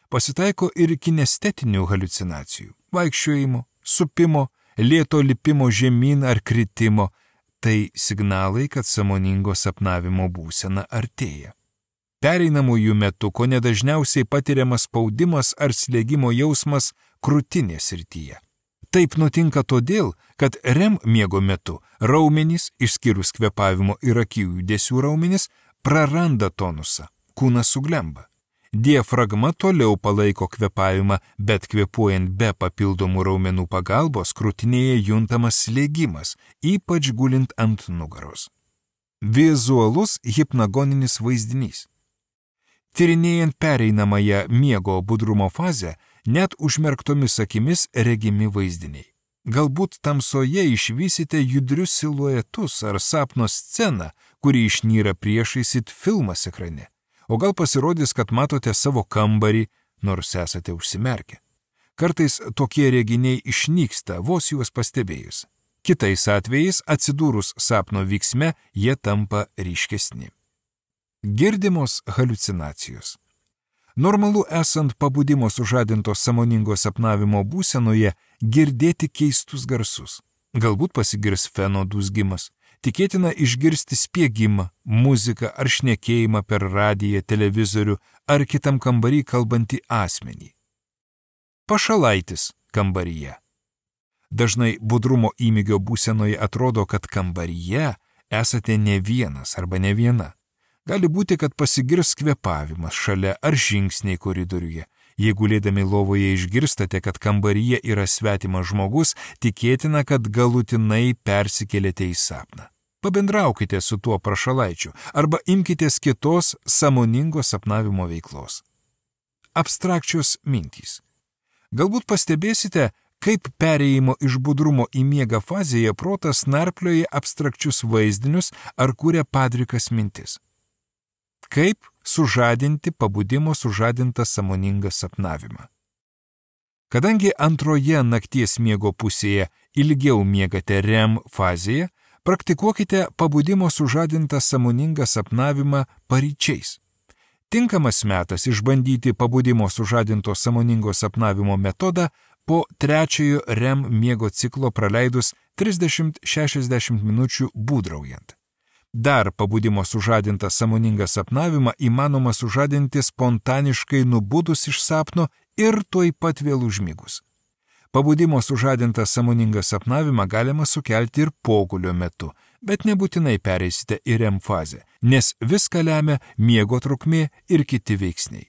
Pasitaiko ir kinestetinių haliucinacijų – vaikščiojimo, supimo, lėto lipimo žemyn ar kritimo. Tai signalai, kad sąmoningo sapnavimo būsena artėja. Pereinamųjų metu kone dažniausiai patiriamas spaudimas ar slėgimo jausmas krūtinės srityje. Taip nutinka todėl, kad REM miego metu raumenys, išskyrus kvėpavimo ir akių judesių raumenys, praranda tonusą, kūnas suglemba. Diafragma toliau palaiko kvėpavimą, bet kvėpuojant be papildomų raumenų pagalbos krūtinėje juntamas slėgimas, ypač gulint ant nugaros. Vizualus hipnagoninis vaizdinys. Tyrinėjant pereinamąją miego budrumo fazę, net užmerktomis akimis regimi vaizdiniai. Galbūt tamsoje išvysite judrius siluetus ar sapno sceną, kuri išnyra priešais it filmas ekrane. O gal pasirodys, kad matote savo kambarį, nors esate užsimerkę. Kartais tokie reginiai išnyksta, vos juos pastebėjus. Kitais atvejais, atsidūrus sapno vyksme, jie tampa ryškesni. Girdimos haliucinacijos. Normalu esant pabudimo sužadinto sąmoningo sapnavimo būsenoje girdėti keistus garsus. Galbūt pasigirs feno dūzgimas. Tikėtina išgirsti spiegimą, muziką ar šnekėjimą per radiją, televizorių ar kitam kambarį kalbantį asmenį. Pašalaitis kambaryje. Dažnai budrumo įmygio būsenoje atrodo, kad kambaryje esate ne vienas arba ne viena. Gali būti, kad pasigirs kvėpavimas šalia ar žingsniai koridoriuje. Jeigu lėdami lovoje išgirstate, kad kambaryje yra svetimas žmogus, tikėtina, kad galutinai persikėlėte į sapną. Pabendraukite su tuo prašalaičiu arba imkitės kitos sąmoningo sapnavimo veiklos. Abstrakčios mintys. Galbūt pastebėsite, kaip perėjimo iš budrumo į miegą fazėje protas narplioja abstrakčius vaizdinius ar kuria padrikas mintis. Kaip sužadinti pabudimo sužadintą sąmoningą sapnavimą. Kadangi antroje nakties miego pusėje ilgiau miegate REM fazėje, praktikuokite pabudimo sužadintą sąmoningą sapnavimą paryčiais. Tinkamas metas išbandyti pabudimo sužadinto sąmoningo sapnavimo metodą po trečiojo REM miego ciklo praleidus 30-60 minučių būdraujant. Dar pabudimo sužadintą sąmoningą sapnavimą įmanoma sužadinti spontaniškai nubudus iš sapno ir tuoj pat vėl užmigus. Pabudimo sužadintą sąmoningą sapnavimą galima sukelti ir pogulio metu, bet nebūtinai pereisite į REM fazę, nes viską lemia miego trukmė ir kiti veiksniai.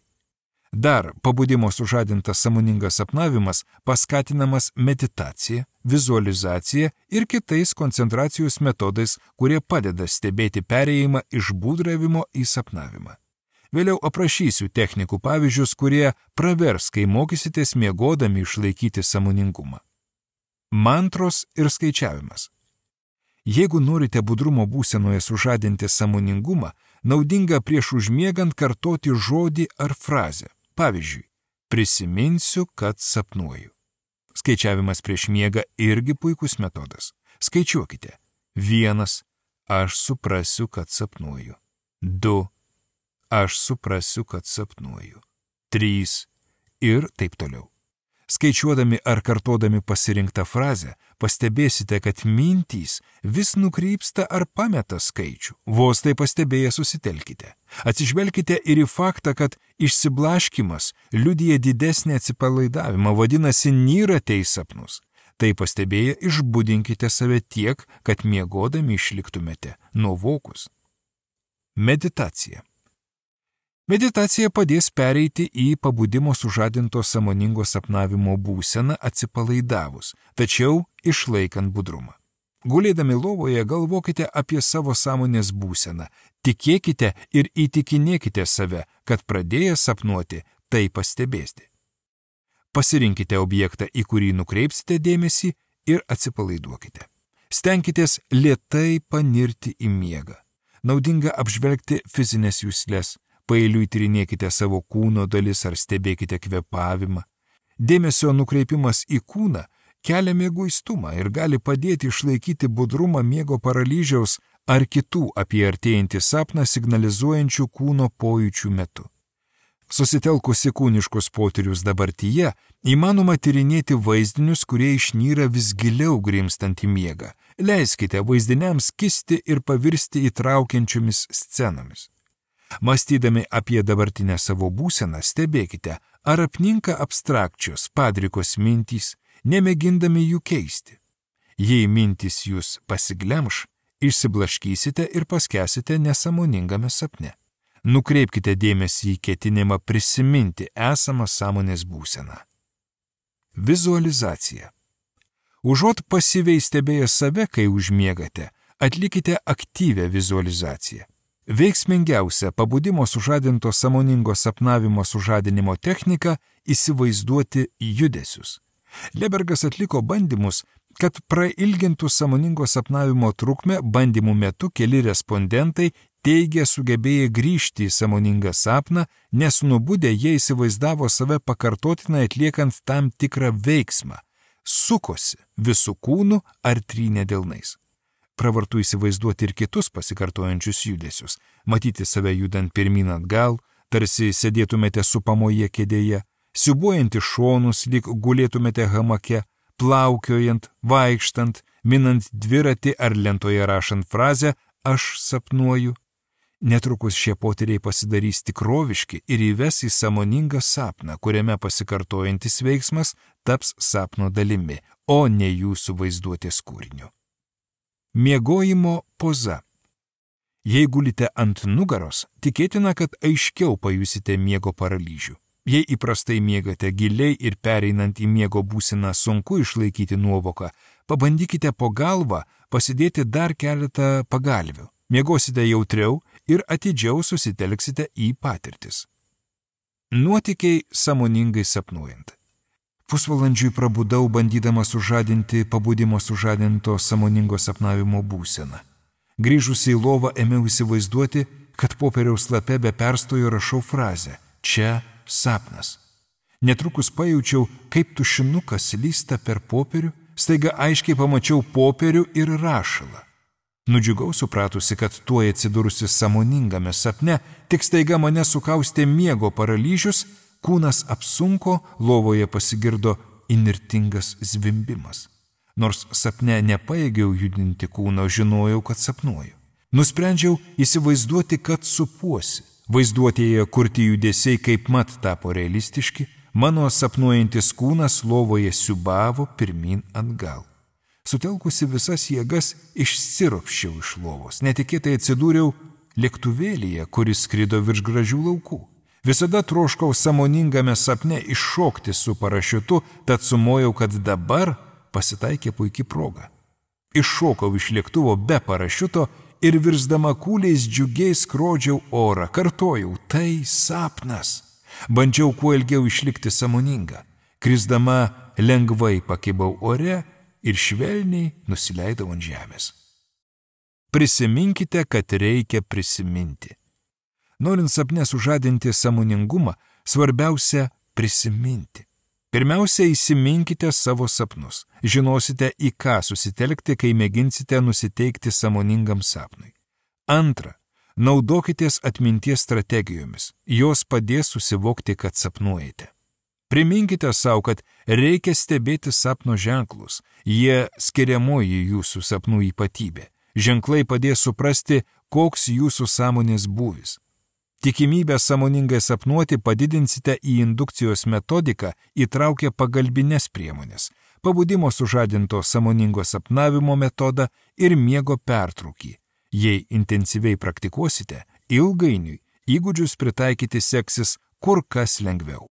Dar pabudimo sužadintas sąmoningas sapnavimas paskatinamas meditacija, vizualizacija ir kitais koncentracijos metodais, kurie padeda stebėti perėjimą iš būdravimo į sapnavimą. Vėliau aprašysiu technikų pavyzdžius, kurie pravers, kai mokysitės miegodami išlaikyti sąmoningumą. Mantros ir skaičiavimas. Jeigu norite budrumo būsenoje sužadinti sąmoningumą, naudinga prieš užmiegant kartoti žodį ar frazę. Pavyzdžiui, prisiminsiu, kad sapnuoju. Skaičiavimas prieš miegą irgi puikus metodas. Skaičiuokite. 1. Aš suprasiu, kad sapnuoju. 2. Aš suprasiu, kad sapnuoju. 3. Ir taip toliau. Skaičiuodami ar kartodami pasirinktą frazę, pastebėsite, kad mintys vis nukrypsta ar pameta skaičių. Vos tai pastebėję susitelkite. Atsižvelkite ir į faktą, kad išsiblaškimas liudija didesnį atsipalaidavimą, vadinasi, nyrate į sapnus. Tai pastebėję išbudinkite save tiek, kad miegodami išliktumėte nuovokus. Meditacija. Meditacija padės pereiti į pabudimo sužadinto sąmoningo sapnavimo būseną atsipalaidavus, tačiau išlaikant budrumą. Gulėdami lovoje galvokite apie savo sąmonės būseną, tikėkite ir įtikinėkite save, kad pradėję sapnuoti, tai pastebėsite. Pasirinkite objektą, į kurį nukreipsite dėmesį ir atsipalaiduokite. Stenkitės lėtai panirti į miegą. Naudinga apžvelgti fizinės juslės. Paeiliui tyrinėkite savo kūno dalis ar stebėkite kvėpavimą. Dėmesio nukreipimas į kūną kelia mieguistumą ir gali padėti išlaikyti budrumą miego paralyžiaus ar kitų apie artėjantį sapną signalizuojančių kūno pojūčių metu. Susitelkusi kūniškus potyrius dabartyje, įmanoma tyrinėti vaizdinius, kurie išnyra vis giliau grimstant į miegą. Leiskite vaizdiniams kisti ir pavirsti įtraukiančiomis scenomis. Mąstydami apie dabartinę savo būseną, stebėkite, ar apninka abstrakčios, padrikos mintys, nemėgindami jų keisti. Jei mintys jūs pasiglemš, išsiblaškysite ir paskęsite nesąmoningame sapne. Nukreipkite dėmesį į ketinimą prisiminti esamą sąmonės būseną. Vizualizacija. Užuot pasyviai stebėję save, kai užmiegate, atlikite aktyvią vizualizaciją. Veiksmingiausia pabudimo sužadinto sąmoningo sapnavimo sužadinimo technika – įsivaizduoti judesius. Lebergas atliko bandymus, kad prailgintų sąmoningo sapnavimo trukmę. Bandymų metu keli respondentai teigė sugebėję grįžti į sąmoningą sapną, nes nubudę jie įsivaizdavo save pakartotinai atliekant tam tikrą veiksmą, sukosi visų kūnų ar trynė delnais. Pravartu įsivaizduoti ir kitus pasikartojančius judesius, matyti save judant pirmyn atgal, tarsi sėdėtumėte supamoje kėdėje, siūbuojant į šonus, lyg gulėtumėte hamake, plaukiojant, vaikštant, minant dviratį ar lentoje rašant frazę «aš sapnuoju». Netrukus šie potyriai pasidarys tikroviški ir įves į sąmoningą sapną, kuriame pasikartojantis veiksmas taps sapno dalimi, o ne jūsų vaizduotės kūriniu. Miegojimo poza. Jei gulite ant nugaros, tikėtina, kad aiškiau pajusite miego paralyžių. Jei įprastai miegate giliai ir pereinant į miego būseną sunku išlaikyti nuovoką, pabandykite po galvą pasidėti dar keletą pagalvių. Miegosite jautriau ir atidžiau susitelksite į patirtis. Nuotykiai sąmoningai sapnuojant. Pusvalandžiui prabudau, bandydama sužadinti pabudimo sužadinto sąmoningo sapnavimo būseną. Grįžusi į lovą ėmiau įsivaizduoti, kad popieriaus lape be perstojo rašau frazę «čia sapnas». Netrukus pajaučiau, kaip tušinukas slysta per popierių, staiga aiškiai pamačiau popierių ir rašalą. Nudžiugau supratusi, kad tuoj atsidūrusi sąmoningame sapne, tik staiga mane sukaustė miego paralyžius, kūnas apsunko, lovoje pasigirdo įnirtingas zvimbimas. Nors sapne nepajėgiau judinti kūno, žinojau, kad sapnuoju. Nusprendžiau įsivaizduoti, kad supuosi. Vaizduotėje kurti judesiai kaip mat tapo realistiški, mano sapnuojantis kūnas lovoje siūbavo pirmin atgal. Sutelkusi visas jėgas išsiropščiau iš lovos. Netikėtai atsidūriau lėktuvėlyje, kuris skrido virš gražių laukų. Visada troškau sąmoningame sapne iššokti su parašiutu, tad sumojau, kad dabar pasitaikė puikiai proga. Iššokau iš lėktuvo be parašiuto ir virsdama kūliais džiugiai skrodžiau orą. Kartojau, tai sapnas. Bandžiau kuo ilgiau išlikti sąmoningą. Krisdama lengvai pakibau ore ir švelniai nusileidau ant žemės. Prisiminkite, kad reikia prisiminti. Norint sapne sužadinti sąmoningumą, svarbiausia prisiminti. Pirmiausia, įsiminkite savo sapnus. Žinosite, į ką susitelkti, kai mėginsite nusiteikti sąmoningam sapnui. Antra, naudokitės atminties strategijomis. Jos padės susivokti, kad sapnuojate. Priminkite savo, kad reikia stebėti sapno ženklus. Jie skiriamoji jūsų sapnų ypatybė. Ženklai padės suprasti, koks jūsų sąmonės būvis. Tikimybę sąmoningai sapnuoti padidinsite į indukcijos metodiką įtraukę pagalbines priemonės, pabudimo sužadinto sąmoningo sapnavimo metodą ir miego pertraukį. Jei intensyviai praktikuosite, ilgainiui įgūdžius pritaikyti seksis kur kas lengviau.